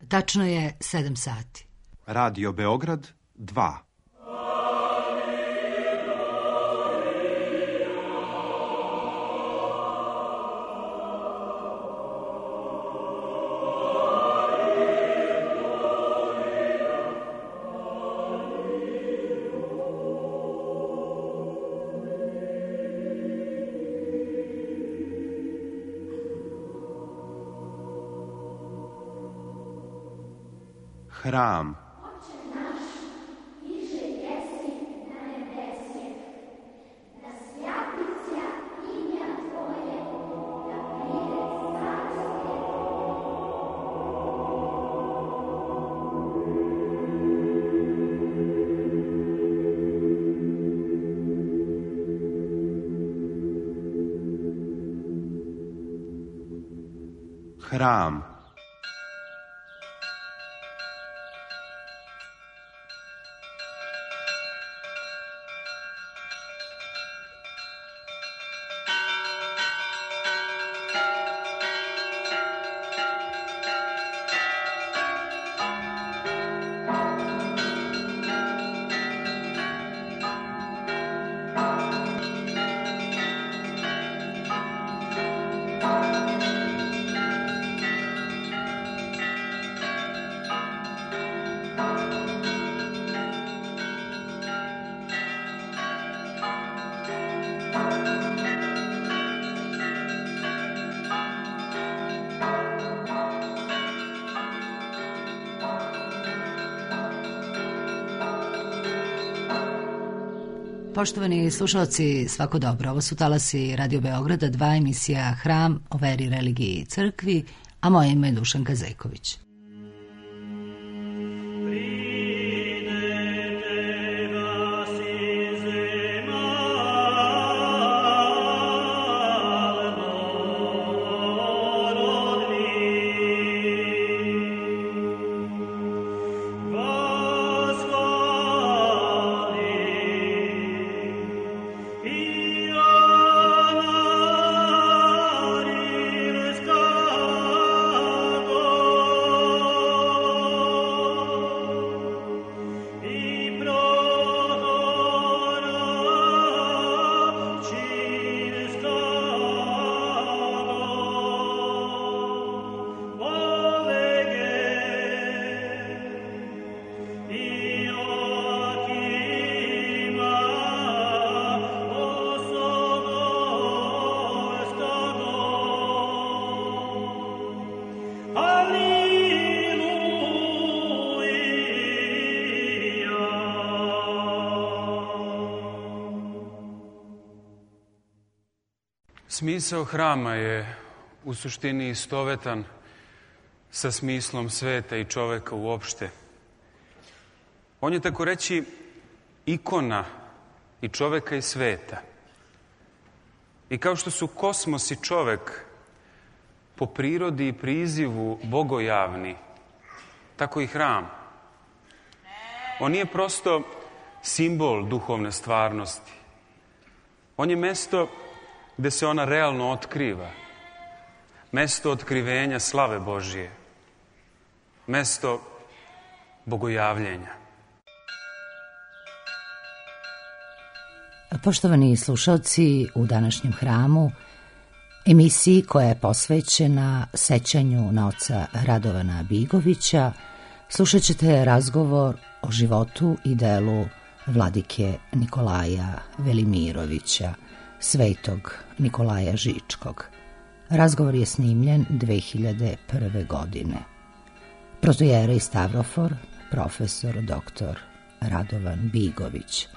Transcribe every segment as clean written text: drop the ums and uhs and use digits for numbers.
Tačno je 7 sati. Radio Beograd 2. Hram. Hram. Poštovani slušalci, svako dobro. Ovo su talasi Radio Beograda 2, emisija Hram o veri, religiji i crkvi, a moje ime je Dušanka Zejković. Smisao hrama je u suštini istovetan sa smislom sveta i čoveka uopšte. On je, tako reći, ikona i čoveka i sveta. I kao što su kosmos i čovek po prirodi i prizivu bogojavni, tako i hram. On nije prosto simbol duhovne stvarnosti. On je mesto gde se ona realno otkriva. Mesto otkrivenja slave Božije. Mesto bogojavljenja. Poštovani slušalci, u današnjem hramu, emisiji koja je posvećena sećanju na oca Radovana Bigovića, slušat ćete razgovor o životu i delu vladike Nikolaja Velimirovića, svetog Nikolaja Žičkog. Razgovor je snimljen 2001. godine. Protojerej Stavrofor, profesor dr. Radovan Bigović,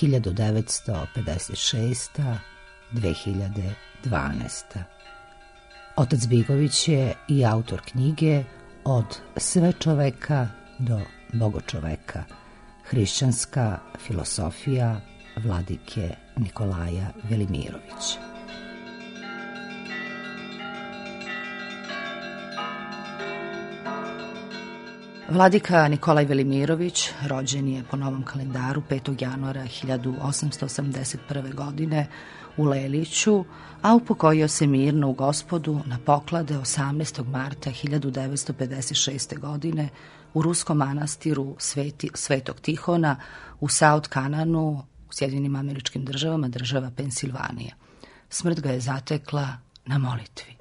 1956. 2012. Otac Bigović je i autor knjige Od sve čoveka do bogočoveka, hrišćanska filosofija vladike Nikolaja Velimirovića. Vladika Nikolaj Velimirović rođen je po novom kalendaru 5. januara 1881. godine u Leliću, a upokojio se mirno u Gospodu na poklade 18. marta 1956. godine u ruskom manastiru Svetog Tihona u South Kananu u Sjedinjenim Američkim Državama, država Pensilvanija. Smrt ga je zatekla na molitvi.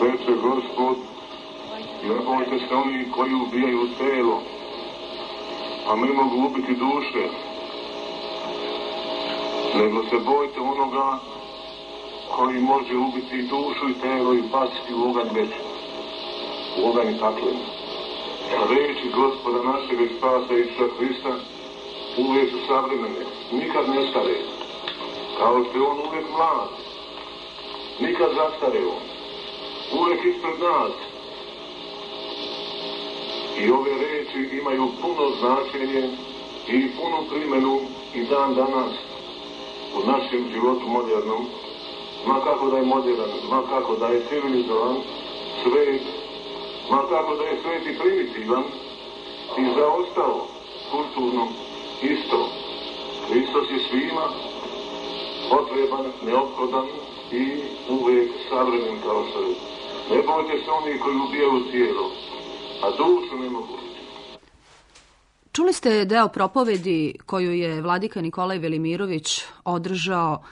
Reče Gospod, ne bojte se oni koji ubijaju telo, a ne mogu ubiti duše, nego se bojte onoga koji može ubiti dušu i telo i baciti u oganj večni, u oganj pakleni. Reči Gospoda našeg i spasa Isusa Hrista uvijek su savremene, nikad ne stare, kao što je on uvijek mlad, nikad zastare on, uvijek ispred nas. I ove reči imaju puno značenje i punu primjenu i dan danas u našem životu modernom, ma kako da je modern, ma kako da je civilizovan svet, ma kako da je svet i primitivan i zaostao kulturno isto. Hristos je svima potreban, neophodan i uvijek savremen kao što je. Ne bojte se oni koji ubijaju tijelo, a dušu ne mogu ubiti. Čuli ste deo propovedi koju je vladika Nikolaj Velimirović održao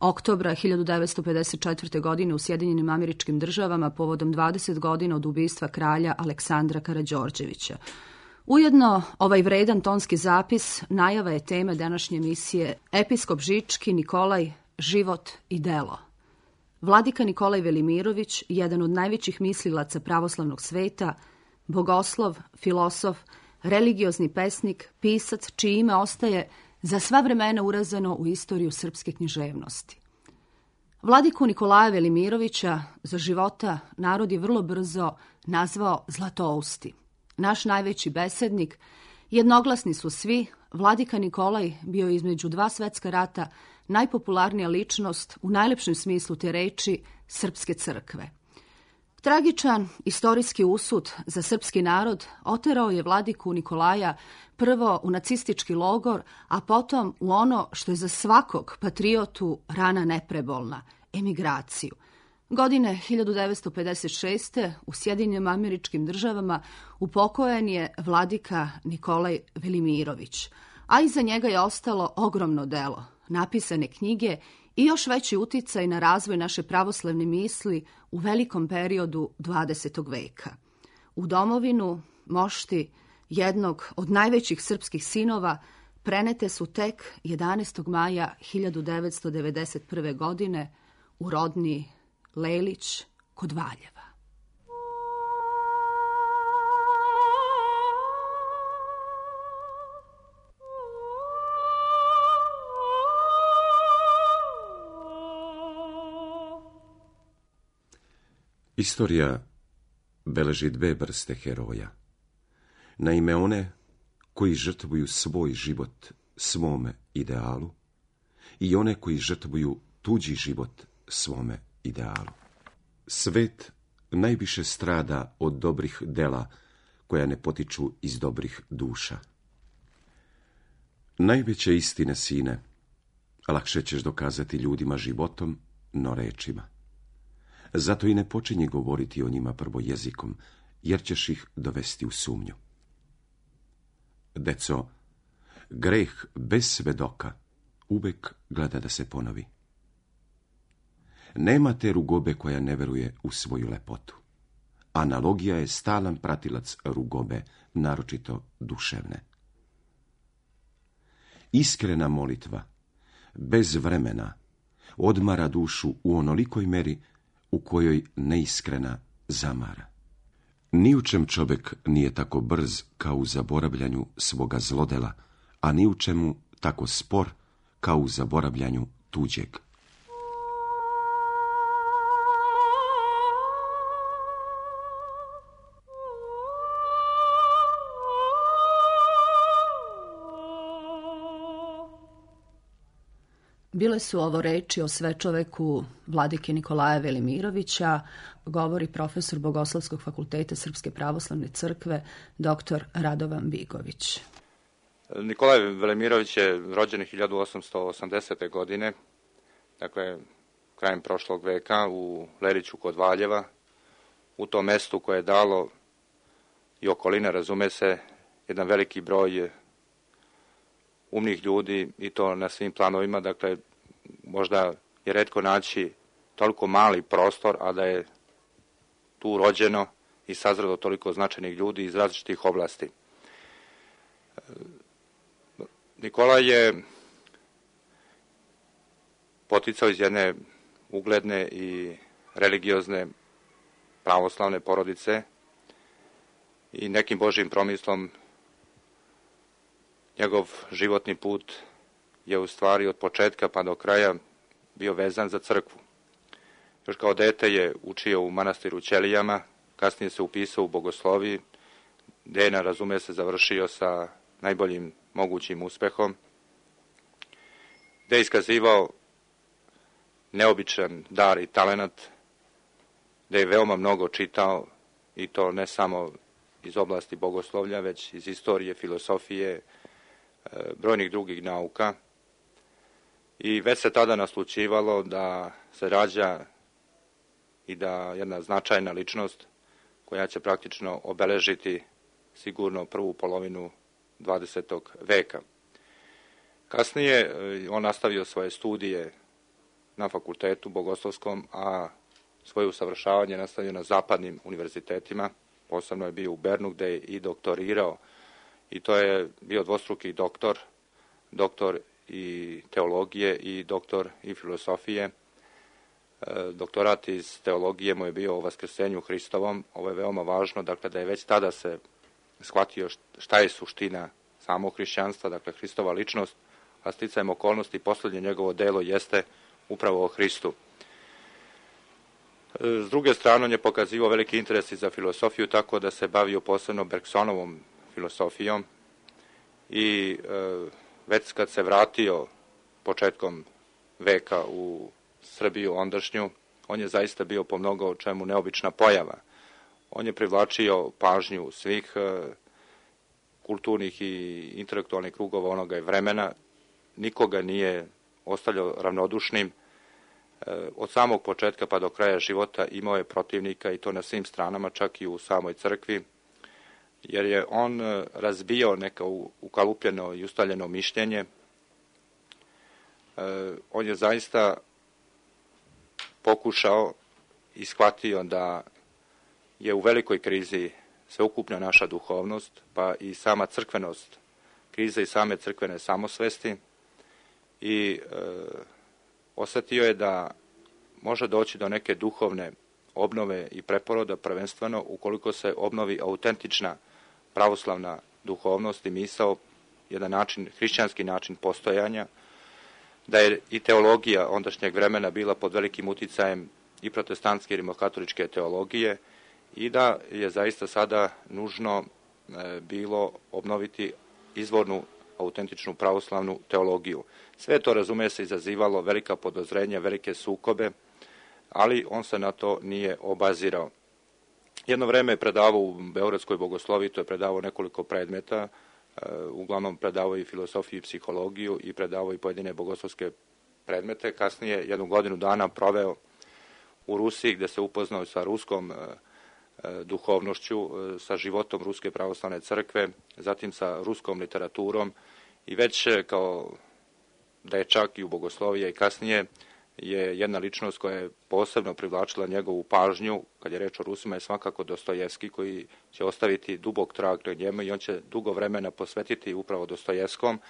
oktobra 1954. godine u Sjedinjenim Američkim Državama povodom 20 godina od ubistva kralja Aleksandra Karađorđevića. Ujedno, ovaj vredan tonski zapis najava je teme današnje emisije Episkop Žički Nikolaj, život i delo. Vladika Nikolaj Velimirović, jedan od najvećih mislilaca pravoslavnog sveta, bogoslov, filosof, religiozni pesnik, pisac, čije ime ostaje za sva vremena urazano u istoriju srpske književnosti. Vladiku Nikolaja Velimirovića za života narod je vrlo brzo nazvao Zlatousti. Naš najveći besednik, jednoglasni su svi, vladika Nikolaj bio između dva svetska rata najpopularnija ličnost u najlepšem smislu te reči srpske crkve. Tragičan istorijski usud za srpski narod oterao je vladiku Nikolaja prvo u nacistički logor, a potom u ono što je za svakog patriotu rana neprebolna, emigraciju. Godine 1956. u Sjedinjenim Američkim Državama upokojen je vladika Nikolaj Velimirović, a iza njega je ostalo ogromno delo, napisane knjige i još veći uticaj na razvoj naše pravoslavne misli u velikom periodu 20. veka. U domovinu, mošti jednog od najvećih srpskih sinova, prenete su tek 11. maja 1991. godine u rodni Lelić kod Valjeva. Istorija beleži dve vrste heroja. Naime, one koji žrtvuju svoj život svome idealu i one koji žrtvuju tuđi život svome idealu. Svet najviše strada od dobrih dela koja ne potiču iz dobrih duša. Najveće istine, sine, lakše ćeš dokazati ljudima životom, no rečima. Zato i ne počinji govoriti o njima prvo jezikom, jer ćeš ih dovesti u sumnju. Deco, greh bez svedoka uvek gleda da se ponovi. Nema te rugobe koja ne veruje u svoju lepotu. Analogija je stalan pratilac rugobe, naročito duševne. Iskrena molitva bez vremena, odmara dušu u onolikoj meri u kojoj neiskrena zamara. Ni u čem čovjek nije tako brz kao u zaboravljanju svoga zlodela, a ni u čemu tako spor kao u zaboravljanju tuđeg. Bile su ovo reči o svečoveku vladike Nikolaja Velimirovića, govori profesor Bogoslovskog fakulteta Srpske pravoslavne crkve, dr. Radovan Bigović. Nikolaj Velimirović je rođen 1880. godine, dakle krajem prošlog veka u Leriću kod Valjeva, u tom mestu koje je dalo i okolina, razume se, jedan veliki broj umnih ljudi i to na svim planovima, dakle možda je retko naći toliko mali prostor, a da je tu rođeno i sazrelo toliko značajnih ljudi iz različitih oblasti. Nikolaj je poticao iz jedne ugledne i religiozne pravoslavne porodice i nekim Božjim promislom njegov životni put je u stvari od početka pa do kraja bio vezan za crkvu. Još kao dete je učio u manastiru Ćelijama, kasnije se upisao u bogosloviji, gde je, razume se, završio sa najboljim mogućim uspehom, gde je iskazivao neobičan dar i talenat, gde je veoma mnogo čitao, i to ne samo iz oblasti bogoslovlja, već iz istorije, filosofije, brojnih drugih nauka. I već se tada naslućivalo da se rađa i da jedna značajna ličnost koja će praktično obeležiti sigurno prvu polovinu 20. veka. Kasnije on nastavio svoje studije na fakultetu bogoslovskom, a svoje usavršavanje nastavio na zapadnim univerzitetima. Posebno je bio u Bernu gde je i doktorirao, i to je bio dvostruki doktor i teologije i doktor i filosofije. Doktorat iz teologije mu je bio o vaskrsenju Hristovom. Ovo je veoma važno, dakle da je već tada se shvatio šta je suština samog hrišćanstva, dakle Hristova ličnost, a sticajem okolnosti poslednje njegovo delo jeste upravo o Hristu. S druge strane, on je pokazivao veliki interes i za filosofiju, tako da se bavio posebno Bergsonovom filosofijom i već kad se vratio početkom veka u Srbiju ondašnju, on je zaista bio po mnogo čemu neobična pojava. On je privlačio pažnju svih kulturnih i intelektualnih krugova onoga vremena, nikoga nije ostavljao ravnodušnim. Od samog početka pa do kraja života imao je protivnika, i to na svim stranama, čak i u samoj crkvi, jer je on razbio neko ukalupljeno i ustaljeno mišljenje. On je zaista pokušao i shvatio da je u velikoj krizi sveukupna naša duhovnost, pa i sama crkvenost, kriza i same crkvene samosvesti, i osetio je da može doći do neke duhovne obnove i preporoda, prvenstveno ukoliko se obnovi autentična pravoslavna duhovnost i misao, jedan način, hrišćanski način postojanja, da je i teologija ondašnjeg vremena bila pod velikim uticajem i protestantske i rimokatoličke teologije, i da je zaista sada nužno bilo obnoviti izvornu autentičnu pravoslavnu teologiju. Sve to, razume se, izazivalo velika podozrenja, velike sukobe, ali on se na to nije obazirao. Jedno vreme je predavao u Beogradskoj bogosloviji, to je predavao nekoliko predmeta, uglavnom predavao i filosofiju i psihologiju i predavao i pojedine bogoslovske predmete. Kasnije, 1 godinu dana proveo u Rusiji, gde se upoznao sa ruskom duhovnošću, sa životom Ruske pravoslavne crkve, zatim sa ruskom literaturom, i već kao dečak i u bogosloviji i kasnije je jedna ličnost koja je posebno privlačila njegovu pažnju, kad je reč o Rusima, je svakako Dostojevski, koji će ostaviti dubok trag na njemu i on će dugo vremena posvetiti upravo Dostojevskom,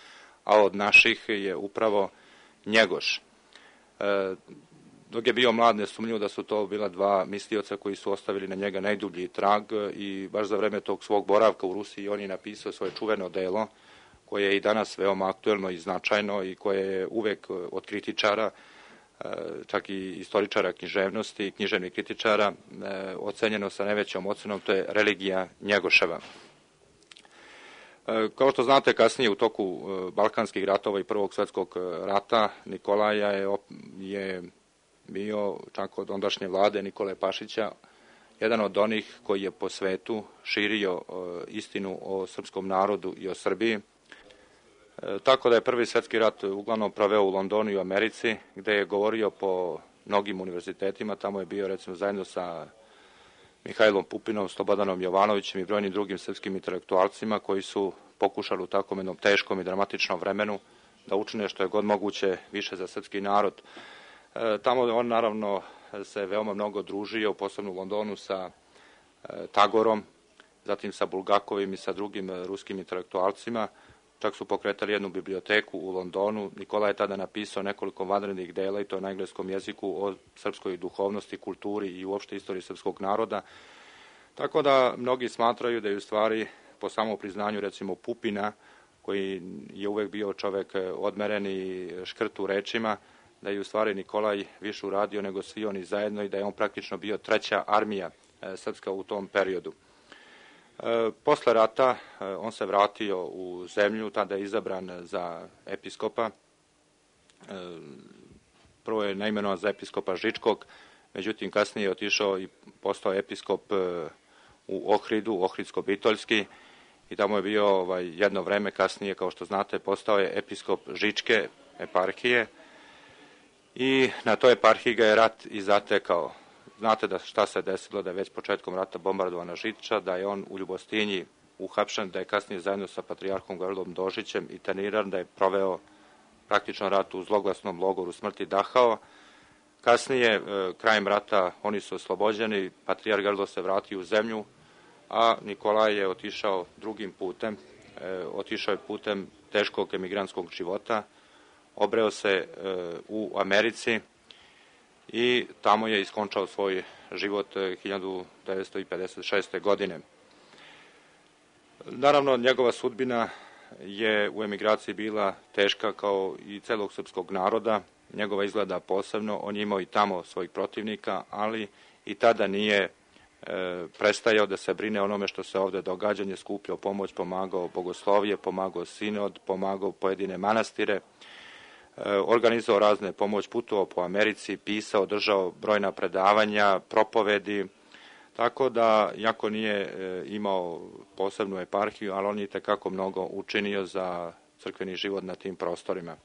a od naših je upravo Njegoš. Dok je bio mlad, nesumnjivo da su to bila dva mislioca koji su ostavili na njega najdublji trag i baš za vreme tog svog boravka u Rusiji on je napisao svoje čuveno delo koje je i danas veoma aktuelno i značajno i koje je uvek od kritičara, čak i istoričara književnosti, književnih kritičara, ocenjeno sa najvećom ocenom, to je Religija Njegoševa. Kao što znate, kasnije u toku Balkanskih ratova i Prvog svjetskog rata Nikolaja je bio, čak od ondašnje vlade Nikole Pašića, jedan od onih koji je po svetu širio istinu o srpskom narodu i o Srbiji. Tako da je Prvi svjetski rat uglavnom proveo u Londonu i u Americi, gde je govorio po mnogim univerzitetima. Tamo je bio recimo zajedno sa Mihajlom Pupinom, Slobodanom Jovanovićem i brojnim drugim srpskim intelektualcima koji su pokušali u takvom jednom teškom i dramatičnom vremenu da učine što je god moguće više za srpski narod. Tamo on naravno se veoma mnogo družio, posebno u Londonu sa Tagorom, zatim sa Bulgakovim i sa drugim ruskim intelektualcima. Čak su pokretali jednu biblioteku u Londonu. Nikola je tada napisao nekoliko vanrednih dela i to na engleskom jeziku o srpskoj duhovnosti, kulturi i uopšte istoriji srpskog naroda. Tako da mnogi smatraju da je u stvari po samom priznanju recimo Pupina, koji je uvek bio čovek odmeren i škrt u rečima, da je u stvari Nikolaj više uradio nego svi oni zajedno i da je on praktično bio treća armija srpska u tom periodu. Posle rata on se vratio u zemlju, tada je izabran za episkopa. Prvo je naimenovan za episkopa Žičkog, međutim kasnije je otišao i postao episkop u Ohridu, Ohridsko-Bitoljski, i tamo je bio jedno vreme. Kasnije, kao što znate, postao je episkop Žičke eparhije i na toj eparhiji ga je rat i zatekao. Znate da šta se desilo, da je već početkom rata bombardovana Žiča, da je on u Ljubostinji uhapšen, da je kasnije zajedno sa patrijarhom Gavrilom Dožićem interniran, da je proveo praktično rat u zloglasnom logoru smrti Dachau. Kasnije, krajem rata, oni su oslobođeni, patrijarh Gavrilo se vratio u zemlju, a Nikolaj je otišao drugim putem, otišao je putem teškog emigrantskog života, obreo se u Americi i tamo je iskončao svoj život 1956. godine. Naravno, njegova sudbina je u emigraciji bila teška kao i celog srpskog naroda, njegova izgleda posebno, on je imao i tamo svojih protivnika, ali i tada nije prestajao da se brine onome što se ovde događa, je skupljao pomoć, pomagao bogoslovije, pomagao sinod, pomagao pojedine manastire, organizovao razne pomoć, putovao po Americi, pisao, držao brojna predavanja, propovedi, tako da, jako nije imao posebnu eparhiju, ali on je tekako mnogo učinio za crkveni život na tim prostorima.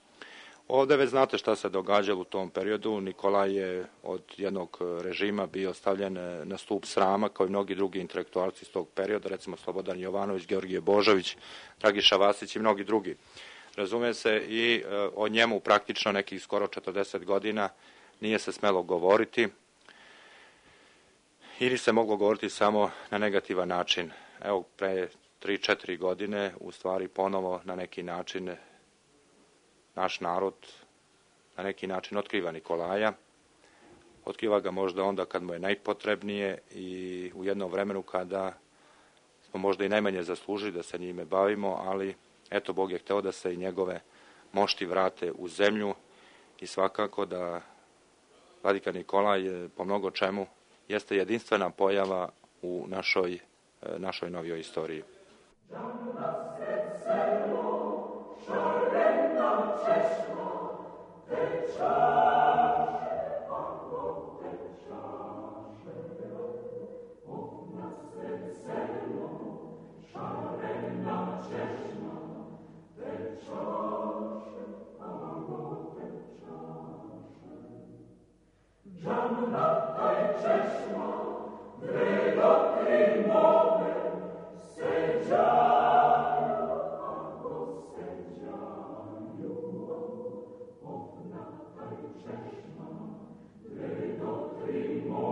Ovde već znate šta se događalo u tom periodu. Nikolaj je od jednog režima bio stavljen na stup srama, kao i mnogi drugi intelektualci iz tog perioda, recimo Slobodan Jovanović, Georgije Božović, Dragiša Vasić i mnogi drugi. Razume se, i o njemu praktično nekih skoro 40 godina nije se smelo govoriti ili se moglo govoriti samo na negativan način. Evo, pre 3-4 godine u stvari ponovo na neki način naš narod na neki način otkriva Nikolaja. Otkriva ga možda onda kad mu je najpotrebnije i u jednom vremenu kada smo možda i najmanje zaslužili da se njime bavimo, ali eto, Bog je hteo da se i njegove mošti vrate u zemlju i svakako da vladika Nikolaj po mnogo čemu jeste jedinstvena pojava u našoj novijoj istoriji. Primo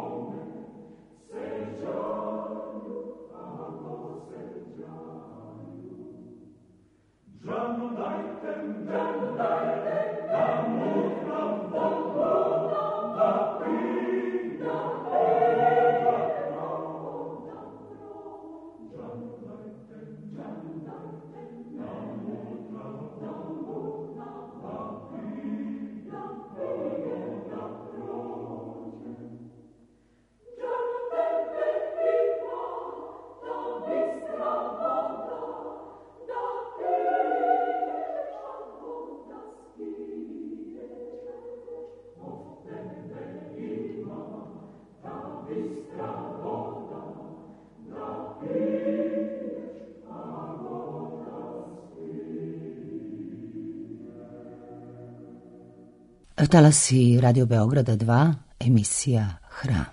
Talasi Radio Beograda 2, emisija Hram.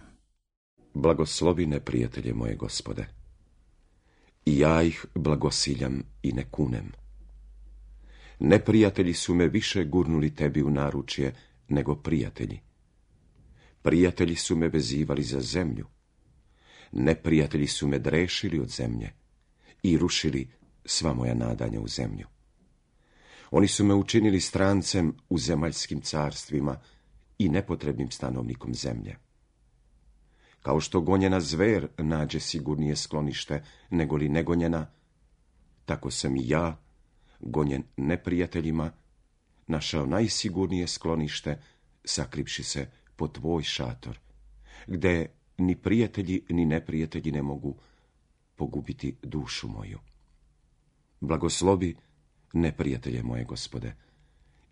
Blagoslovi neprijatelje moje, Gospode, i ja ih blagosiljam i ne kunem. Neprijatelji su me više gurnuli tebi u naručje nego prijatelji. Prijatelji su me vezivali za zemlju. Neprijatelji su me drešili od zemlje i rušili sva moja nadanja u zemlju. Oni su me učinili strancem u zemaljskim carstvima i nepotrebnim stanovnikom zemlje. Kao što gonjena zver nađe sigurnije sklonište nego li negonjena, tako sam i ja, gonjen neprijateljima, našao najsigurnije sklonište, sakrivši se pod tvoj šator, gde ni prijatelji ni neprijatelji ne mogu pogubiti dušu moju. Blagoslovi neprijatelje moje, Gospode,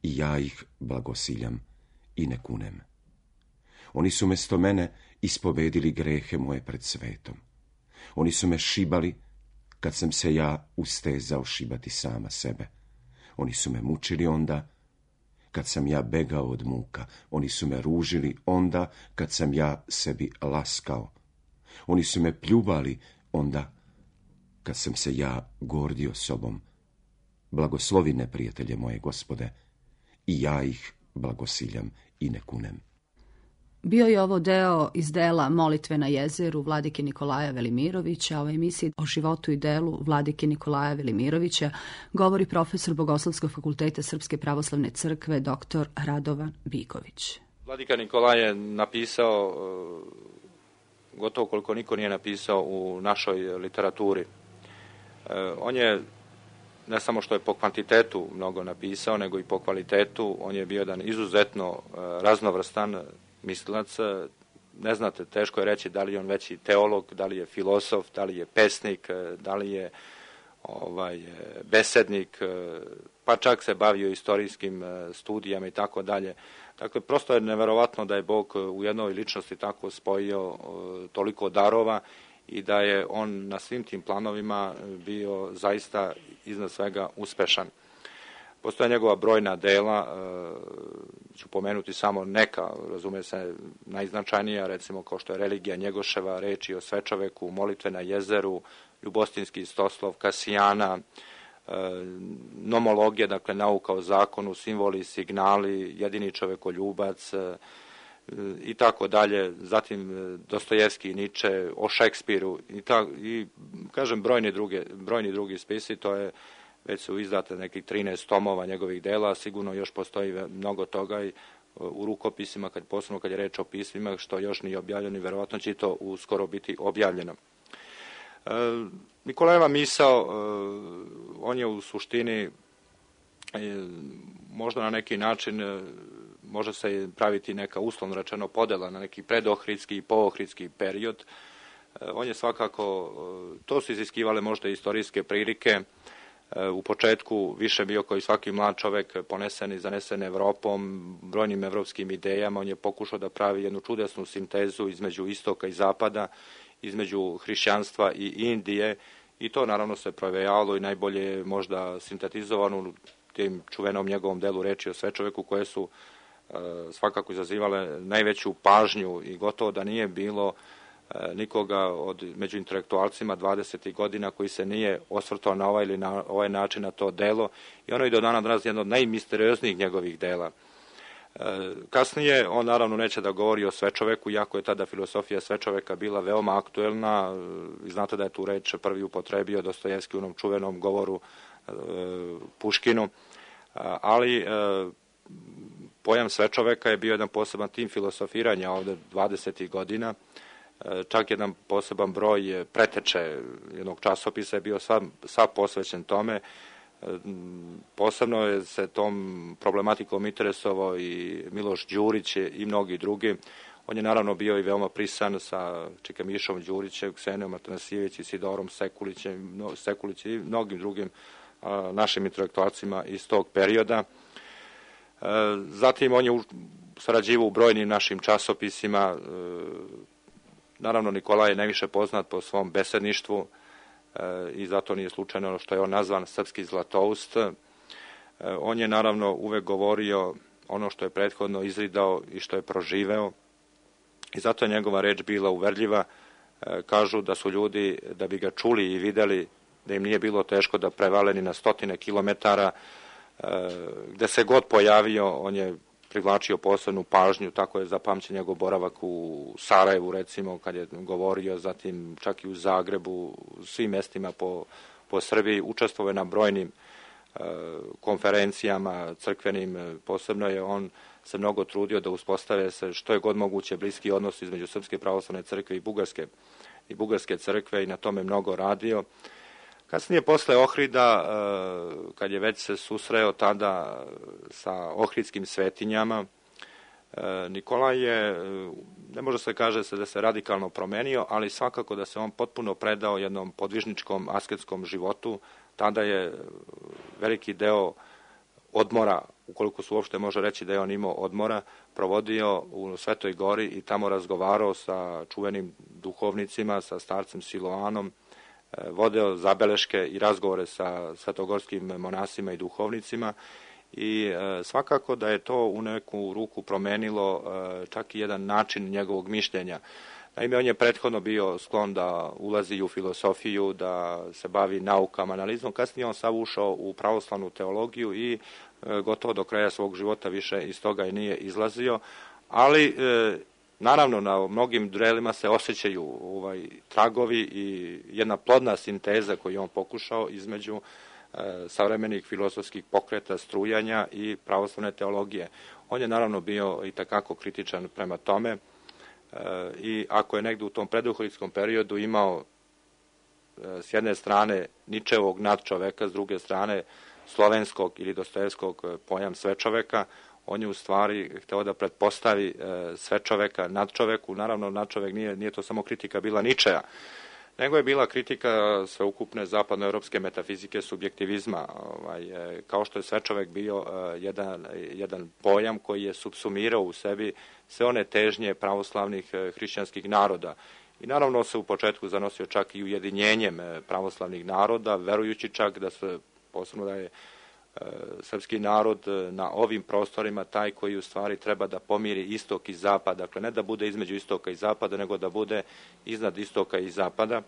i ja ih blagosiljam i ne kunem. Oni su mesto mene ispovedili grehe moje pred svetom. Oni su me šibali kad sam se ja ustezao šibati sama sebe. Oni su me mučili onda kad sam ja begao od muka. Oni su me ružili onda kad sam ja sebi laskao. Oni su me pljuvali onda kad sam se ja gordio sobom. Blagoslovi neprijatelje moje, Gospode, i ja ih blagosiljam i ne kunem. Bio je ovo deo iz dela Molitve na jezeru vladike Nikolaja Velimirovića. O emisiji o životu i delu vladike Nikolaja Velimirovića govori profesor Bogoslovskog fakulteta Srpske pravoslavne crkve dr. Radovan Biković. Vladika Nikolaj je napisao gotovo koliko niko nije napisao u našoj literaturi. On je ne samo što je po kvantitetu mnogo napisao, nego i po kvalitetu. On je bio jedan izuzetno raznovrstan mislilac. Ne znate, teško je reći da li je on veći teolog, da li je filosof, da li je pesnik, da li je besednik, pa čak se bavio istorijskim studijama i tako dalje. Dakle, prosto je neverovatno da je Bog u jednoj ličnosti tako spojio toliko darova i da je on na svim tim planovima bio zaista iznad svega uspešan. Postoje njegova brojna dela, ću pomenuti samo neka, razume se, najznačajnija, recimo kao što je Religija Njegoševa, Reči o svečoveku, Molitve na jezeru, Ljubostinski istoslov, Kasijana, Nomologija, dakle nauka o zakonu, simboli, signali, Jedini čovekoljubac i tako dalje, zatim Dostojevski i Niče, o Šekspiru i kažem brojni drugi spisi. To je, već su izdate nekih 13 tomova njegovih dela, sigurno još postoji mnogo toga i u rukopisima, posebno kad je reč o pismima, što još nije objavljeno i verovatno će to uskoro biti objavljeno. Nikolajeva misao, on je u suštini možda na neki način može se praviti neka uslovno rečeno podela na neki predohridski i poohridski period. On je svakako, to su iziskivale možda istorijske prilike. U početku više bio kao i svaki mlad čovek ponesen i zanesen Evropom, brojnim evropskim idejama. On je pokušao da pravi jednu čudesnu sintezu između istoka i zapada, između hrišćanstva i Indije i to naravno se provejavalo i najbolje je možda sintetizovano u tim čuvenom njegovom delu Reči o svečoveku, koje su svakako izazivale najveću pažnju i gotovo da nije bilo nikoga među intelektualcima 20. godina koji se nije osvrtao na ovaj ili na ovaj način na to delo i ono je do dana danas jedno od najmisterioznijih njegovih dela. Kasnije on naravno neće da govori o svečoveku, iako je tada filosofija svečoveka bila veoma aktuelna. Znate da je tu reč prvi upotrebio Dostojevski u onom čuvenom govoru Puškinu, ali pojam svečoveka je bio jedan poseban tim filosofiranja ovde 20. godina. Čak jedan poseban broj preteče jednog časopisa je bio sav posvećen tome. Posebno je se tom problematikom interesovao i Miloš Đurić i mnogi drugi. On je naravno bio i veoma prisan sa Čikamišom Đurićem, Ksenijom Atanasijević i Sidorom Sekulić i mnogim drugim našim intelektualcima iz tog perioda. Zatim on je sarađivao u brojnim našim časopisima. Naravno, Nikolaj je najviše poznat po svom besedništvu. i zato nije slučajno ono što je on nazvan srpski Zlatoust. On je naravno uvek govorio ono što je prethodno izridao i što je proživeo i zato je njegova reč bila uverljiva. Kažu da su ljudi, da bi ga čuli i videli, da im nije bilo teško da prevaleni na 100 kilometara, gde se god pojavio, on je privlačio posebnu pažnju, tako je zapamćen njegov boravak u Sarajevu, recimo, kad je govorio, zatim čak i u Zagrebu, u svim mestima po Srbiji, učestvovao je na brojnim konferencijama crkvenim, posebno je on se mnogo trudio da uspostave se što je god moguće bliski odnos između Srpske pravoslavne crkve i Bugarske crkve i na tome mnogo radio. Kasnije, posle Ohrida, kad je već se susreo tada sa ohridskim svetinjama, Nikolaj je, ne može se kaže da se radikalno promenio, ali svakako da se on potpuno predao jednom podvižničkom asketskom životu. Tada je veliki deo odmora, ukoliko se uopšte može reći da je on imao odmora, provodio u Svetoj Gori i tamo razgovarao sa čuvenim duhovnicima, sa starcem Siloanom, vodeo zabeleške i razgovore sa svetogorskim monasima i duhovnicima i svakako da je to u neku ruku promenilo čak i jedan način njegovog mišljenja. Naime, on je prethodno bio sklon da ulazi u filosofiju, da se bavi naukama, analizom. Kasnije on sav ušao u pravoslavnu teologiju i gotovo do kraja svog života više iz toga i nije izlazio, ali naravno na mnogim delima se osjećaju tragovi i jedna plodna sinteza koju on pokušao između savremenih filozofskih pokreta, strujanja i pravoslavne teologije. On je naravno bio i takako kritičan prema tome i ako je negde u tom preduhridskom periodu imao s jedne strane Ničevog nadčoveka, s druge strane slovenskog ili Dostojevskog pojam svečoveka, on je u stvari hteo da pretpostavi svečoveka nadčoveku. Naravno, nadčovek nije to samo kritika bila Ničeja, nego je bila kritika sveukupne zapadnoevropske metafizike subjektivizma, kao što je svečovek bio jedan pojam koji je subsumirao u sebi sve one težnje pravoslavnih hrišćanskih naroda. I naravno se u početku zanosio čak i ujedinjenjem pravoslavnih naroda, verujući čak da se, posebno da je srpski narod na ovim prostorima taj koji u stvari treba da pomiri istok i zapad, dakle ne da bude između istoka i zapada, nego da bude iznad istoka i zapada.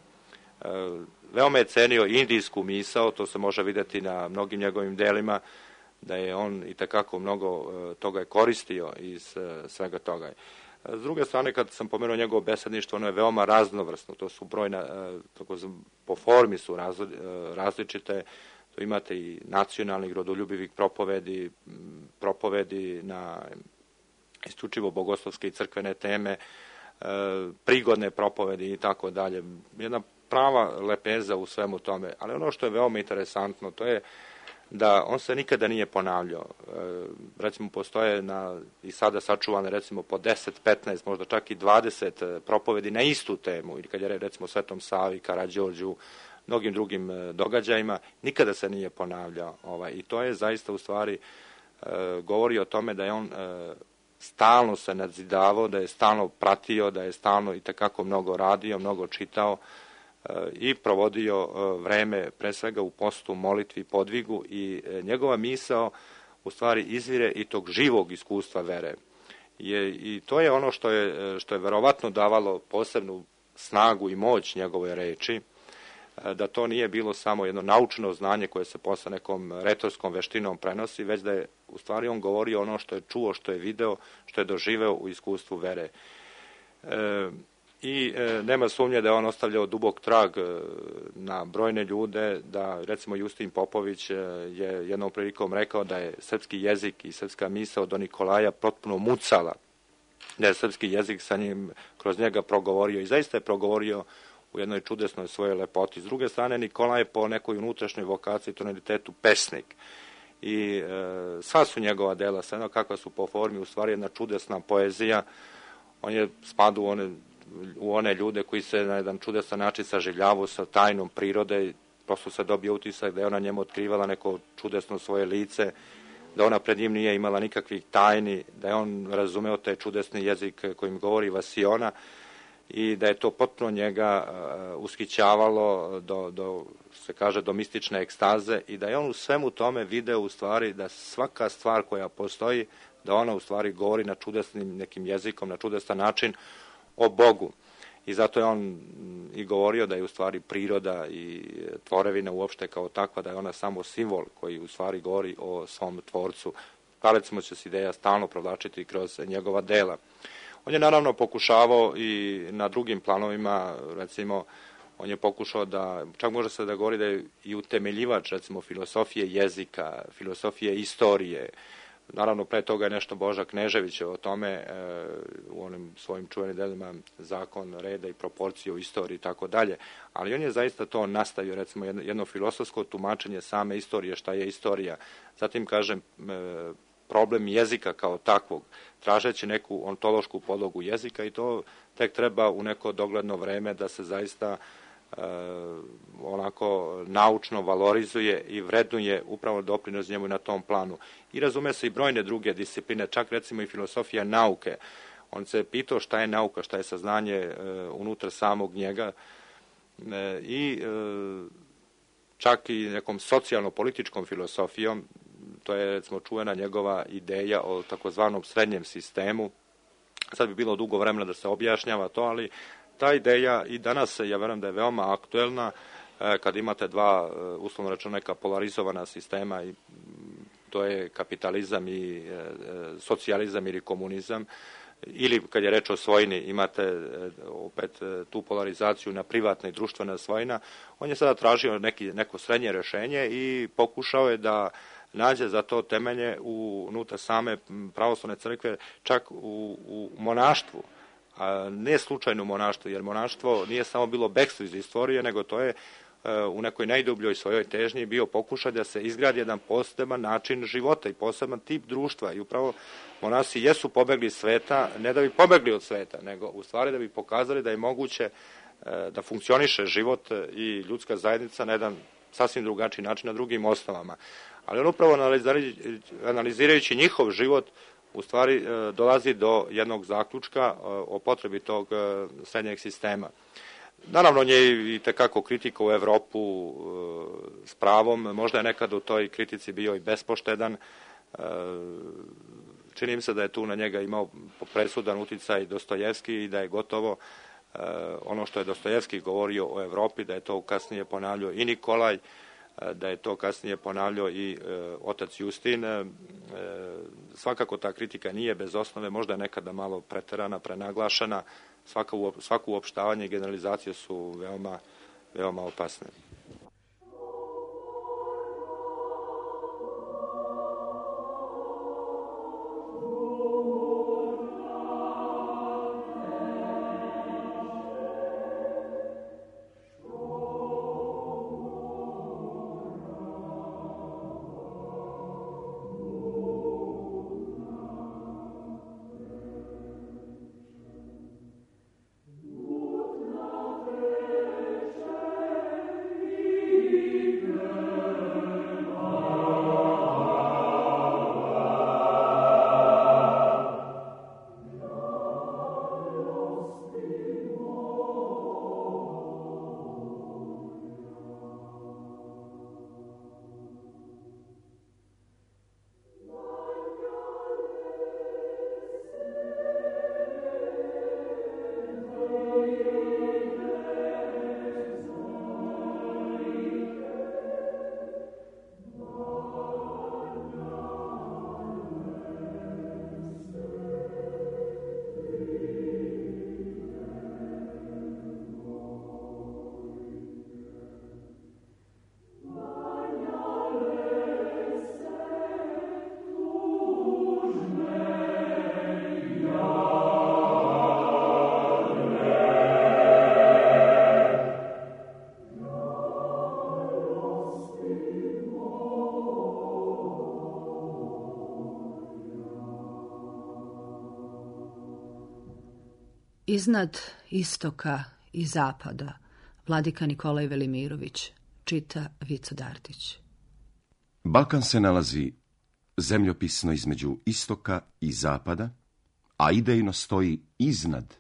Veoma je cenio indijsku misao, to se može vidjeti na mnogim njegovim delima, da je on i takako mnogo toga je koristio iz svega toga. S druge strane, kad sam pomenuo njegovo besedništvo, ono je veoma raznovrsno, to su brojna, po formi su različite. To imate i nacionalnih rodoljubivih propovedi na isključivo bogoslovske i crkvene teme, prigodne propovedi i tako dalje. Jedna prava lepeza u svemu tome. Ali ono što je veoma interesantno, to je da on se nikada nije ponavljao. Recimo, postoje i sada sačuvane recimo po 10, 15, možda čak i 20 propovedi na istu temu, ili kad je recimo Svetom Savi, Karađorđu, mnogim drugim događajima, nikada se nije ponavljao. I to je zaista u stvari govori o tome da je on stalno se nadzidavao, da je stalno pratio, da je stalno i takako mnogo radio, mnogo čitao i provodio vreme pre svega u postu, molitvi, podvigu i njegova misao u stvari izvire i tog živog iskustva vere. I to je ono što je verovatno davalo posebnu snagu i moć njegove reči, da to nije bilo samo jedno naučno znanje koje se posle nekom retorskom veštinom prenosi, već da je u stvari on govorio ono što je čuo, što je video, što je doživeo u iskustvu vere. I nema sumnje da je on ostavljao dubok trag na brojne ljude, da recimo Justin Popović je jednom prilikom rekao da je srpski jezik i srpska misao do Nikolaja potpuno mucala, da je srpski jezik sa njim kroz njega progovorio i zaista je progovorio u jednoj čudesnoj svojoj lepoti. S druge strane, Nikolaj je po nekoj unutrašnjoj vokaciji, tonalitetu pesnik. I sva su njegova dela, sve kakva su po formi, u stvari jedna čudesna poezija. On je spadao u one ljude koji se na jedan čudesan način saživljavaju sa tajnom prirode. Prosto se dobije utisak da je ona njemu otkrivala neko čudesno svoje lice, da ona pred njim nije imala nikakvih tajni, da je on razumeo taj čudesni jezik kojim govori Vasiona. i da je to potpuno njega ushićavalo se kaže, do mistične ekstaze i da je on u svemu tome video u stvari da svaka stvar koja postoji, da ona u stvari govori na čudesnim nekim jezikom, na čudestan način o Bogu. I zato je on i govorio da je u stvari priroda i tvorevina uopšte kao takva, da je ona samo simbol koji u stvari govori o svom tvorcu. Pa recimo će se ideja stalno provlačiti kroz njegova dela. On je naravno pokušavao i na drugim planovima, recimo, on je pokušao da, čak može se da govori da je i utemeljivač, recimo, filosofije jezika, filosofije istorije. Naravno, pre toga je nešto Boža Knežević o tome u onim svojim čuvenim delima Zakon reda i proporcije u istoriji i tako dalje. Ali on je zaista to nastavio, recimo, jedno filosofsko tumačenje same istorije, šta je istorija. Zatim, kažem, problem jezika kao takvog, tražeći neku ontološku podlogu jezika i to tek treba u neko dogledno vreme da se zaista onako naučno valorizuje i vrednuje upravo doprinos njemu na tom planu. I razume se i brojne druge discipline, čak recimo i filosofija nauke. On se pitao šta je nauka, šta je saznanje unutar samog njega i čak i nekom socijalno-političkom filosofijom. To je recimo čuvena njegova ideja o takozvanom srednjem sistemu. Sad bi bilo dugo vremena da se objašnjava to, ali ta ideja i danas, ja verujem da je veoma aktuelna kad imate dva, uslovno rečeno, neka polarizovana sistema, i to je kapitalizam i socijalizam ili komunizam, ili kad je reč o svojini imate opet tu polarizaciju na privatna i društvena svojina. On je sada tražio neko srednje rešenje i pokušao je da nađe za to temelje unutar same pravoslavne crkve, čak u monaštvu. A ne slučajno monaštvo, jer monaštvo nije samo bilo bekstvo iz istorije, nego to je u nekoj najdubljoj svojoj težnji bio pokušaj da se izgradi jedan poseban način života i poseban tip društva. I upravo monasi jesu pobegli iz sveta, ne da bi pobegli od sveta, nego u stvari da bi pokazali da je moguće da funkcioniše život i ljudska zajednica na jedan sasvim drugačiji način, na drugim osnovama. Ali on upravo analizirajući njihov život u stvari dolazi do jednog zaključka o potrebi tog srednjeg sistema. Naravno, on je i tekako kritika u Evropu s pravom, možda je nekad u toj kritici bio i bespoštedan. Čini mi se da je tu na njega imao presudan uticaj Dostojevski i da je gotovo ono što je Dostojevski govorio o Evropi, da je to kasnije ponavljao i Nikolaj, da je to kasnije ponavljao i otac Justin. Svakako ta kritika nije bez osnove, možda je nekada malo preterana, prenaglašena. Svako uopštavanje i generalizacije su veoma opasne. Iznad istoka i zapada, vladika Nikolaj Velimirović, čita Vico Dartić. Balkan se nalazi zemljopisno između istoka i zapada, a idejno stoji iznad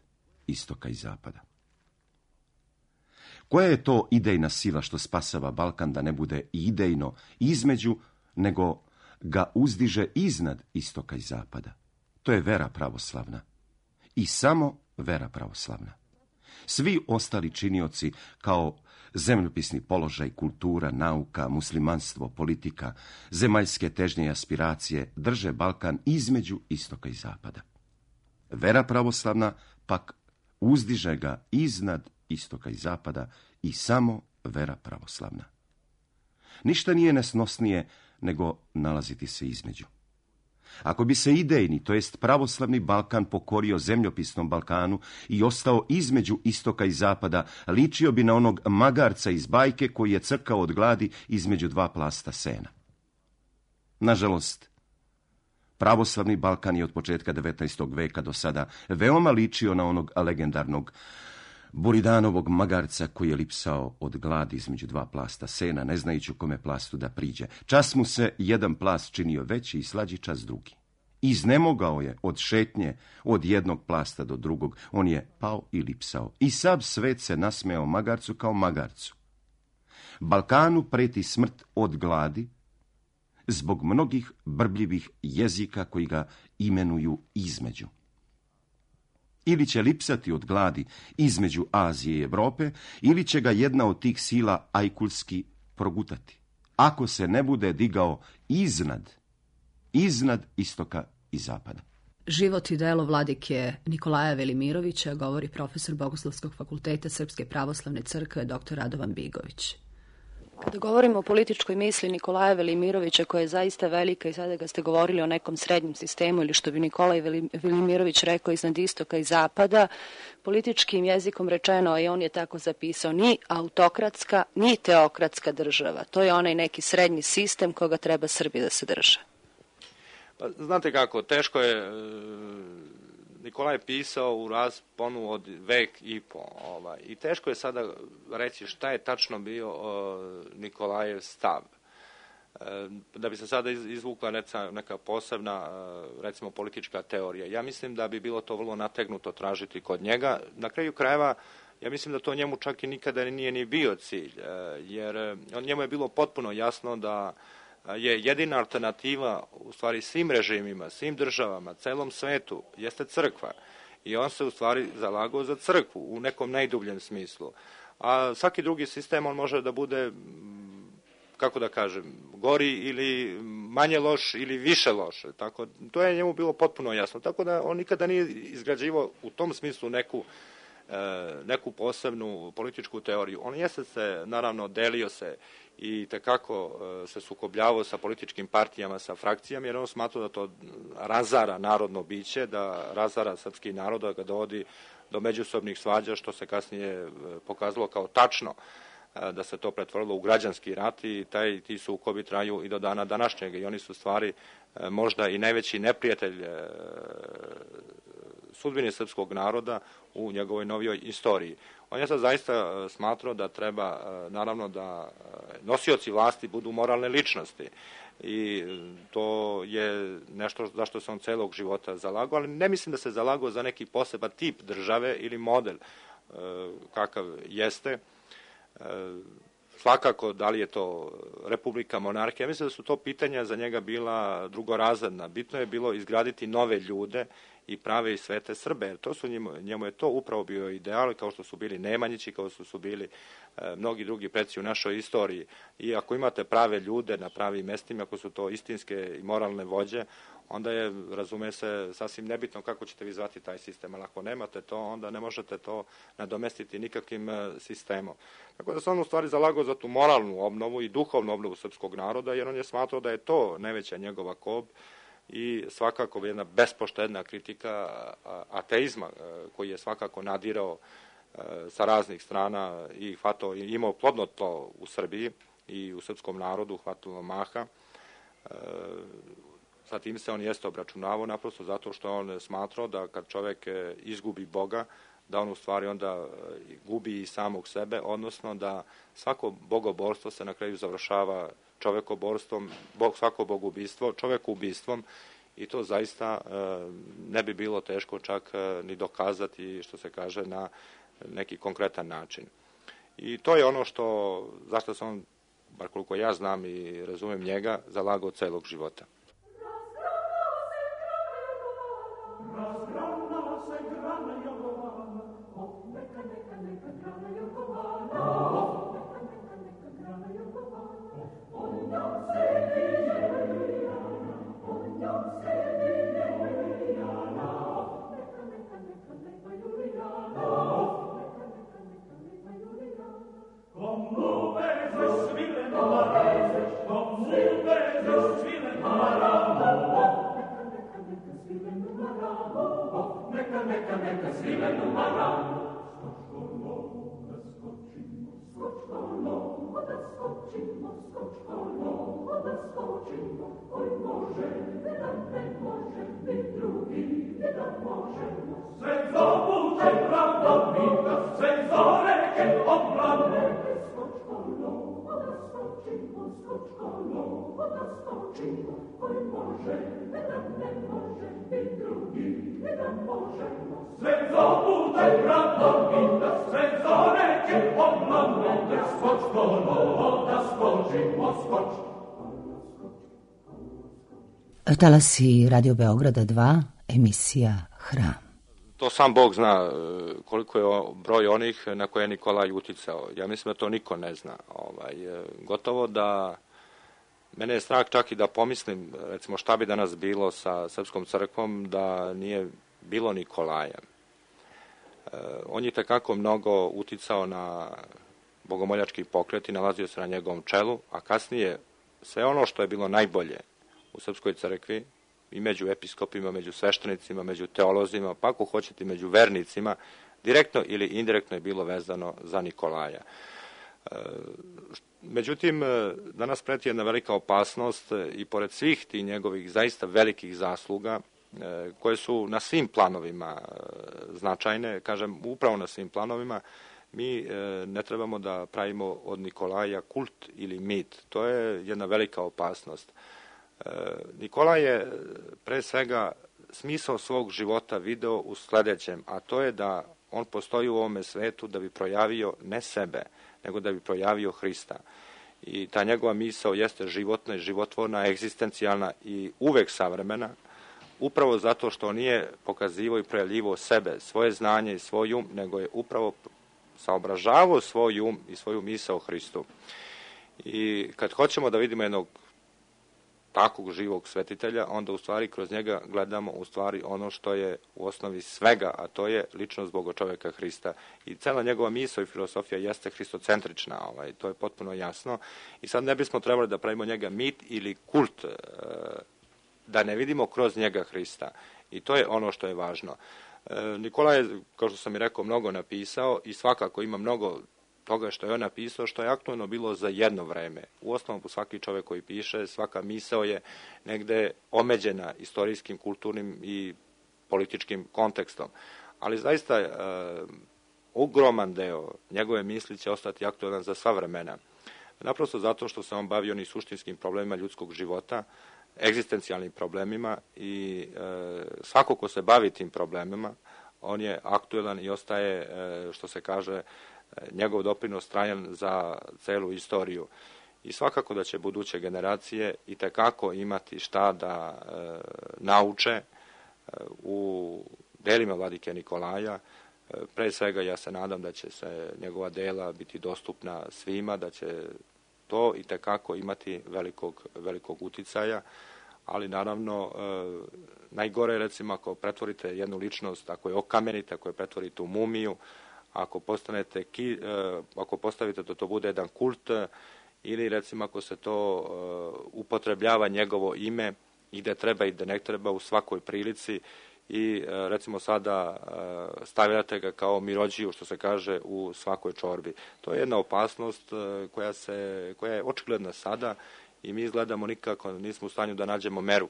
istoka i zapada. Koja je to idejna sila što spasava Balkan da ne bude idejno između, nego ga uzdiže iznad istoka i zapada? To je vera pravoslavna. I samo vera pravoslavna. Svi ostali činioci kao zemljopisni položaj, kultura, nauka, muslimanstvo, politika, zemaljske težnje i aspiracije drže Balkan između istoka i zapada. Vera pravoslavna pak uzdiže ga iznad istoka i zapada i samo vera pravoslavna. Ništa nije nesnosnije nego nalaziti se između. Ako bi se idejni, to jest pravoslavni Balkan pokorio zemljopisnom Balkanu i ostao između istoka i zapada, ličio bi na onog magarca iz bajke koji je crkao od gladi između dva plasta sena. Nažalost, pravoslavni Balkan je od početka 19. veka do sada veoma ličio na onog legendarnog Buridanovog magarca koji je lipsao od gladi između dva plasta sena, ne znajući u kome plastu da priđe. Čas mu se jedan plast činio veći i slađi, čas drugi. Iznemogao je od šetnje od jednog plasta do drugog, on je pao i lipsao. I sav svet se nasmejao magarcu kao magarcu. Balkanu preti smrt od gladi zbog mnogih brbljivih jezika koji ga imenuju između. Ili će lipsati od gladi između Azije i Evrope, ili će ga jedna od tih sila ajkulski progutati, ako se ne bude digao iznad istoka i zapada. Život i delo vladike Nikolaja Velimirovića govori profesor Bogoslovskog fakulteta Srpske pravoslavne crkve dr. Radovan Bigović. Kada govorimo o političkoj misli Nikolaja Velimirovića, koja je zaista velika, i sada ga ste govorili o nekom srednjem sistemu, ili što bi Nikolaj Velimirović rekao, iznad istoka i zapada, političkim jezikom rečeno, i on je tako zapisao, ni autokratska, ni teokratska država. To je onaj neki srednji sistem koga treba Srbi da se drže. Pa, znate kako, teško je, Nikolaj je pisao u rasponu od vek i po, i teško je sada reći šta je tačno bio Nikolajev stav. Da bi se sada izvukla neka posebna, recimo, politička teorija. Ja mislim da bi bilo to vrlo nategnuto tražiti kod njega. Na kraju krajeva, ja mislim da to njemu čak i nikada nije ni bio cilj, jer njemu je bilo potpuno jasno da je jedina alternativa u stvari svim režimima, svim državama, celom svetu, jeste crkva. I on se u stvari zalagao za crkvu u nekom najdubljem smislu. A svaki drugi sistem on može da bude, kako da kažem, gori ili manje loš ili više loš. Tako, to je njemu bilo potpuno jasno. Tako da on nikada nije izgrađivao u tom smislu neku posebnu političku teoriju. On jeste se, naravno, delio se i tekako se sukobljavao sa političkim partijama, sa frakcijama, jer on smatrao da to razara narodno biće, da razara srpski narod, da ga dovodi do međusobnih svađa, što se kasnije pokazalo kao tačno, da se to pretvorilo u građanski rat i ti sukobi traju i do dana današnjega i oni su stvari možda i najveći neprijatelj sudbine srpskog naroda u njegovoj novijoj istoriji. On je sad zaista smatrao da treba, naravno, da nosioci vlasti budu moralne ličnosti i to je nešto zašto se on celog života zalagao, ali ne mislim da se zalagao za neki poseban tip države ili model kakav jeste. Svakako, da li je to republika, monarhija, mislim da su to pitanja za njega bila drugorazredna. Bitno je bilo izgraditi nove ljude i prave i svete Srbe, jer to su njemu je to upravo bio ideal, kao što su bili Nemanjići, kao što su bili mnogi drugi preci u našoj istoriji. I ako imate prave ljude na pravim mestima, ako su to istinske i moralne vođe, onda je, razume se, sasvim nebitno kako ćete vi zvati taj sistem, ali ako nemate to, onda ne možete to nadomestiti nikakvim sistemom. Tako da se on u stvari zalagao za tu moralnu obnovu i duhovnu obnovu srpskog naroda, jer on je smatrao da je to najveća njegova kob i svakako jedna bespoštedna kritika ateizma koji je svakako nadirao sa raznih strana i imao plodno tlo u Srbiji i u srpskom narodu, hvatilo maha. Sa tim se on jeste obračunavao naprosto zato što on smatrao da kad čovek izgubi Boga, da on u stvari onda gubi i samog sebe, odnosno da svako bogoborstvo se na kraju završava čovekoborstvom, svako bogubistvo čovekubistvom i to zaista ne bi bilo teško čak ni dokazati, što se kaže, na neki konkretan način. I to je ono zašto sam on, bar koliko ja znam i razumem njega, zalagao celog života. Talasi Radio Beograda 2, emisija Hram. To sam Bog zna koliko je broj onih na koje je Nikolaj uticao. Ja mislim da to niko ne zna. Gotovo da mene je strah čak i da pomislim, recimo, šta bi danas bilo sa Srpskom crkvom da nije bilo Nikolaja. On je tekako mnogo uticao na bogomoljački pokret i nalazio se na njegovom čelu, a kasnije sve ono što je bilo najbolje u Srpskoj crkvi, i među episkopima, među sveštenicima, među teolozima, pa ako hoćete među vernicima, direktno ili indirektno je bilo vezano za Nikolaja. Međutim, danas preti jedna velika opasnost i pored svih tih njegovih zaista velikih zasluga, koje su na svim planovima značajne, kažem upravo na svim planovima, mi ne trebamo da pravimo od Nikolaja kult ili mit. To je jedna velika opasnost. Nikolaj je pre svega smisao svog života video u sledećem, a to je da on postoji u ovome svetu da bi projavio ne sebe, nego da bi projavio Hrista. I ta njegova misao jeste životna, životvorna, egzistencijalna i uvek savremena, upravo zato što nije pokazivao i projavljivao sebe, svoje znanje i svoj um, nego je upravo saobražavao svoj um i svoju misao Hristu. I kad hoćemo da vidimo jednog takvog živog svetitelja, onda u stvari kroz njega gledamo u stvari ono što je u osnovi svega, a to je ličnost Bogočoveka Hrista. I cela njegova misao i filosofija jeste hristocentrična, to je potpuno jasno. I sad ne bismo trebali da pravimo njega mit ili kult, da ne vidimo kroz njega Hrista. I to je ono što je važno. Nikolaj je, kao što sam i rekao, mnogo napisao i svakako ima mnogo toga što je on napisao, što je aktualno bilo za jedno vreme. U osnovu svaki čovek koji piše, svaka misao je negde omeđena istorijskim, kulturnim i političkim kontekstom. Ali zaista ogroman deo njegove misli će ostati aktualan za sva vremena. Naprosto zato što se on bavio ni suštinskim problemima ljudskog života, egzistencijalnim problemima i svako ko se bavi tim problemima, on je aktualan i ostaje, što se kaže, njegov doprinos trajan za celu istoriju. I svakako da će buduće generacije i tekako imati šta da nauče u delima vladike Nikolaja. Pre svega ja se nadam da će se njegova dela biti dostupna svima, da će to i tekako imati velikog uticaja, ali naravno najgore je recimo ako pretvorite jednu ličnost, ako je okamenite, ako je pretvorite u mumiju, ako postavite da to bude jedan kult ili recimo ako se to upotrebljava njegovo ime i gde treba i gde ne treba u svakoj prilici i recimo sada stavljate ga kao mirođiju, što se kaže, u svakoj čorbi. To je jedna opasnost koja je očigledna sada i mi izgledamo nikako nismo u stanju da nađemo meru,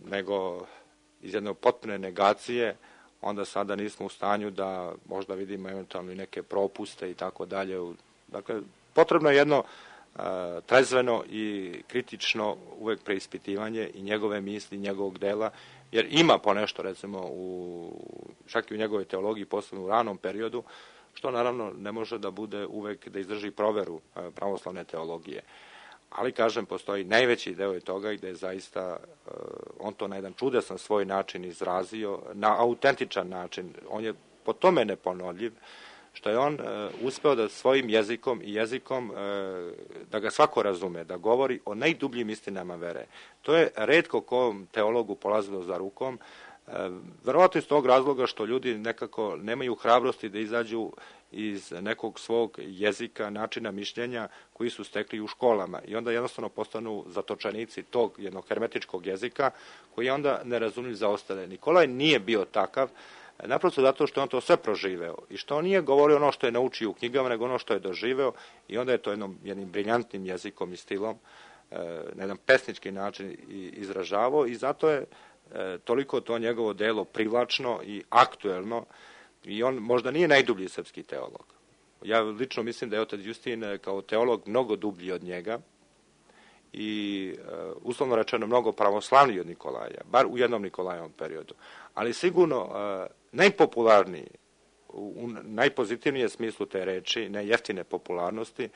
nego iz jedne potpune negacije onda sada nismo u stanju da možda vidimo eventualno i neke propuste i tako dalje. Dakle, potrebno je jedno trezveno i kritično uvek preispitivanje i njegove misli, njegovog dela, jer ima ponešto, recimo, čak i u njegovoj teologiji, posebno u ranom periodu, što naravno ne može da bude uvek da izdrži proveru pravoslavne teologije. Ali, kažem, postoji najveći deo je toga gde je zaista on to na jedan čudesan svoj način izrazio, na autentičan način. On je po tome neponovljiv, što je on uspeo da svojim jezikom i jezikom da ga svako razume, da govori o najdubljim istinama vere. To je retko kom teologu polazilo za rukom, verovatno iz tog razloga što ljudi nekako nemaju hrabrosti da izađu iz nekog svog jezika, načina mišljenja koji su stekli u školama i onda jednostavno postanu zatočenici tog jednog hermetičkog jezika koji je onda nerazumljiv za ostale. Nikolaj nije bio takav, naprosto zato što on to sve proživeo i što on nije govorio ono što je naučio u knjigama, nego ono što je doživeo i onda je to jednim briljantnim jezikom i stilom na jedan pesnički način izražavao i zato je toliko to njegovo delo privlačno i aktuelno i on možda nije najdublji srpski teolog. Ja lično mislim da je otac Justin kao teolog mnogo dublji od njega i uslovno rečeno mnogo pravoslavniji od Nikolaja, bar u jednom Nikolajevom periodu. Ali sigurno najpopularniji, u najpozitivnijem smislu te reči, ne jeftine popularnosti,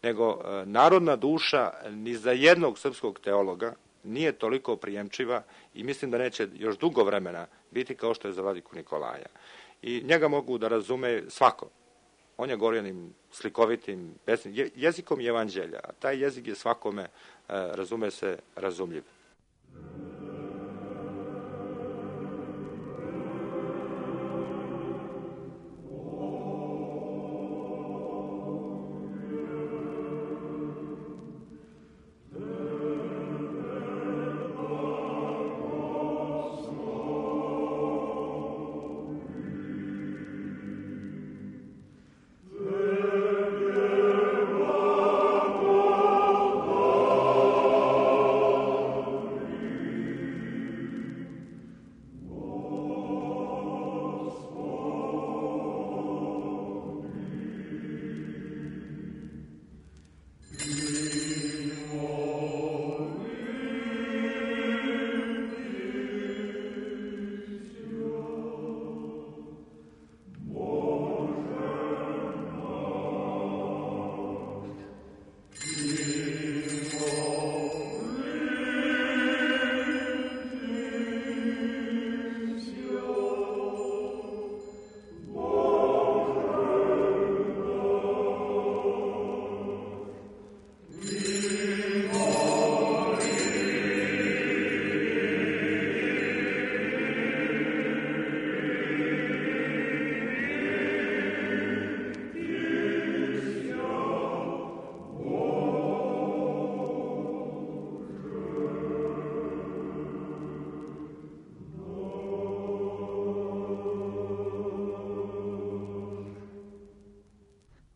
nego narodna duša ni za jednog srpskog teologa nije toliko prijemčiva i mislim da neće još dugo vremena biti kao što je za vladiku Nikolaja. I njega mogu da razume svako. On je govorim slikovitim jezikom evanđelja, a taj jezik je svakome, razume se, razumljiv.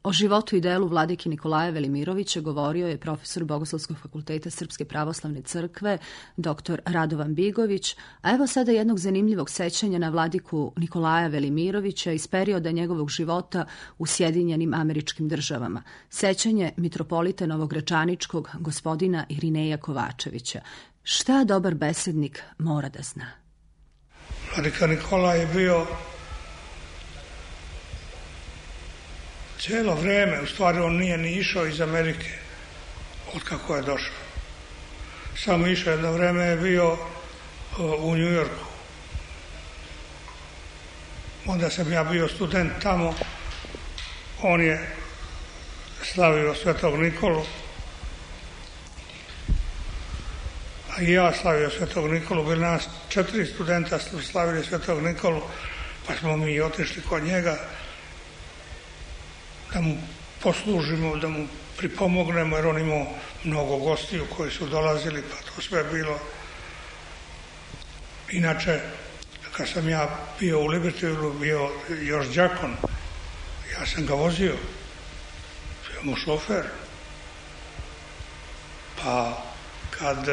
O životu i delu vladike Nikolaja Velimirovića govorio je profesor Bogoslovskog fakulteta Srpske pravoslavne crkve, dr. Radovan Bigović, a evo sada jednog zanimljivog sećanja na vladiku Nikolaja Velimirovića iz perioda njegovog života u Sjedinjenim Američkim Državama. Sećanje mitropolita Novogračaničkog gospodina Irineja Kovačevića. Šta dobar besednik mora da zna? Vladika Nikolaj je bio cijelo vreme, u stvari on nije ni išao iz Amerike od kako je došao. Samo išao jedno vreme je bio u New Yorku. Onda sam ja bio student tamo, on je slavio Svetog Nikolu, a i ja slavio Svetog Nikolu, bili nas 4 studenta slavili Svetog Nikolu, pa smo mi otišli kod njega da mu poslužimo, da mu pripomognemo, jer on imao mnogo gostiju koji su dolazili, pa to sve bilo. Inače, kad sam ja bio u Libertyvilu, bio još đakon, ja sam ga vozio, bio mu šofer. Pa kad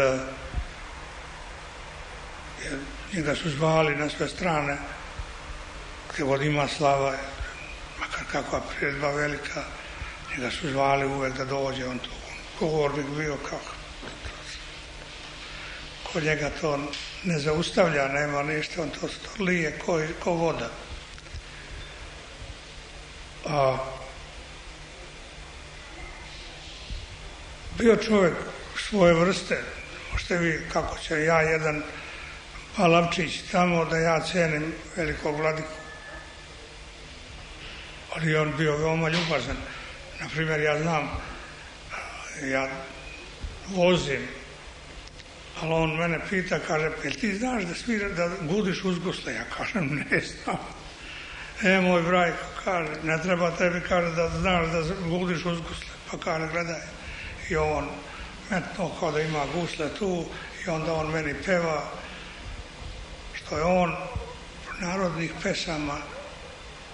njega su zvali na sve strane, gdje god ima slava, makar kakva priredba velika, njega su zvali uvek da dođe, on to govornik bio kako. Kod njega to ne zaustavlja, nema ništa, on to lije ko voda. A bio čovjek svoje vrste, možete vi kako će ja jedan Palavčić tamo da ja cenim velikog vladiku. Ali on bio veoma ljubazan. Naprimjer, ja znam, ja vozim, ali on mene pita, kaže, jel ti znaš da gudiš uz gusle? Ja kažem, ne znam. Moj Brajko, kaže, ne treba tebi, kaže, da znaš da gudiš uz gusle. Pa kaže, gledaj, i on metno kao da ima gusle tu i onda on meni peva što je on narodnih pesama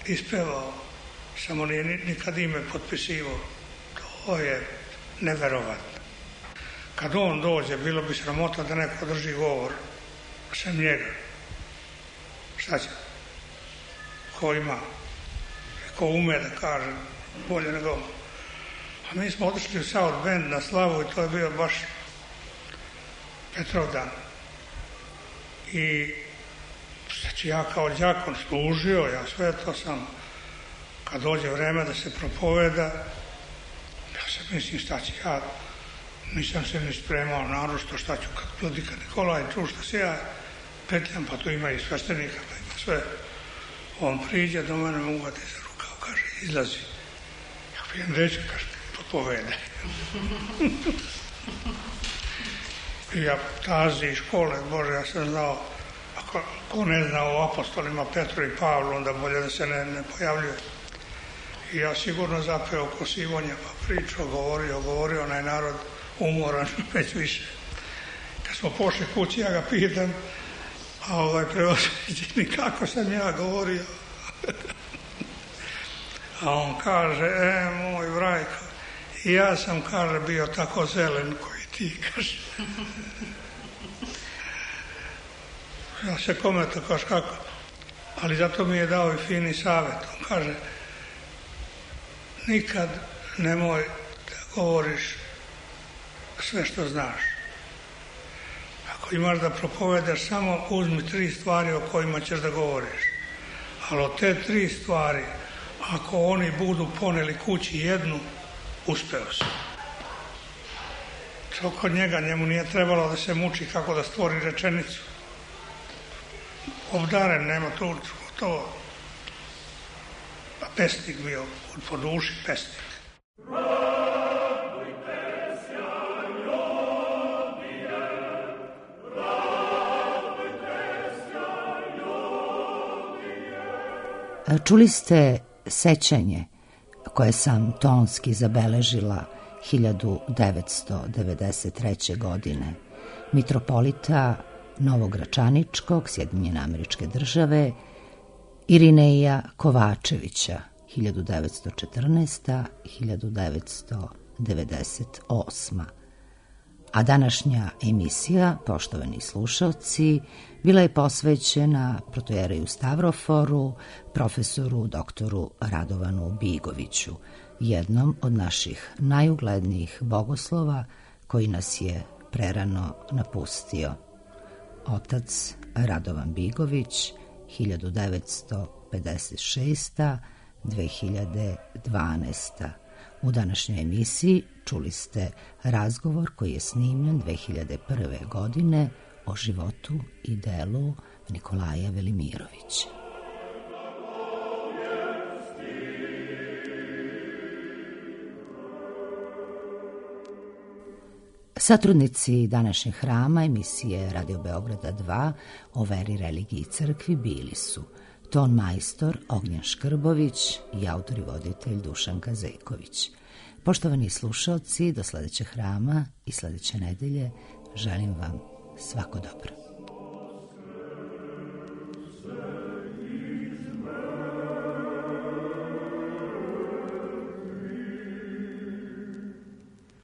ispevao, samo nije nikad ime potpisivao. To je neverovatno. Kad on dođe, bilo bi sramota da neko drži govor sem njega. Šta će? Ko ima? Ko ume da kaže bolje nego on. A mi smo otišli u South Bend na slavu i to je bio baš Petrovdan. I znači ja kao đakon služio, ja sve to sam, kad dođe vreme da se propoveda, ja se mislim šta će ja, nisam se ni spremao naročito šta ću kad vladika Nikolaj ču šta se ja petljam, pa tu ima i sveštenika, pa ima sve. On priđe do mene, me uvati za rukav, kaže, izlazi. Ja pijem reći, kaže, propovede. I ja tazi iz škole, Bože, ja sam znao, ko ne zna o apostolima Petru i Pavlu, onda bolje da se ne pojavljuje. I ja sigurno zapeo ko Sivonja, pa pričao, govorio, onaj narod umoran već više. Kad smo pošli kući, ja ga pitam, a preosvećeni, kako sam ja govorio? A on kaže, moj Brajko, i ja sam, kaže, bio tako zelen koji ti, kaže. Ja se kome to kaže kako, ali zato mi je dao i fini savjet. On kaže, nikad nemoj da govoriš sve što znaš. Ako imaš da propovedaš, samo uzmi 3 stvari o kojima ćeš da govoriš. Ali od te 3 stvari, ako oni budu poneli kući jednu, uspeo si. To kod njega, njemu nije trebalo da se muči kako da stvori rečenicu. Obdaren, nema tu to. Pa pesnik bio, po duši pesnik. Čuli ste sećanje koje sam tonski zabeležila 1993. godine mitropolita Novogračaničkog, Sjedinjene Američke Države, Irineja Kovačevića, 1914-1998. A današnja emisija, poštovani slušalci, bila je posvećena protojereju Stavroforu, profesoru doktoru Radovanu Bigoviću, jednom od naših najuglednijih bogoslova koji nas je prerano napustio. Otac Radovan Bigović, 1956-2012. U današnjoj emisiji čuli ste razgovor koji je snimljen 2001. godine o životu i delu Nikolaja Velimirovića. Satrudnici današnjeg hrama emisije Radio Beograda 2 o veri, religiji i crkvi bili su ton majstor Ognjen Škrbović i autor i voditelj Dušan Kazeković. Poštovani slušalci, do sledećeg hrama i sledeće nedelje želim vam svako dobro.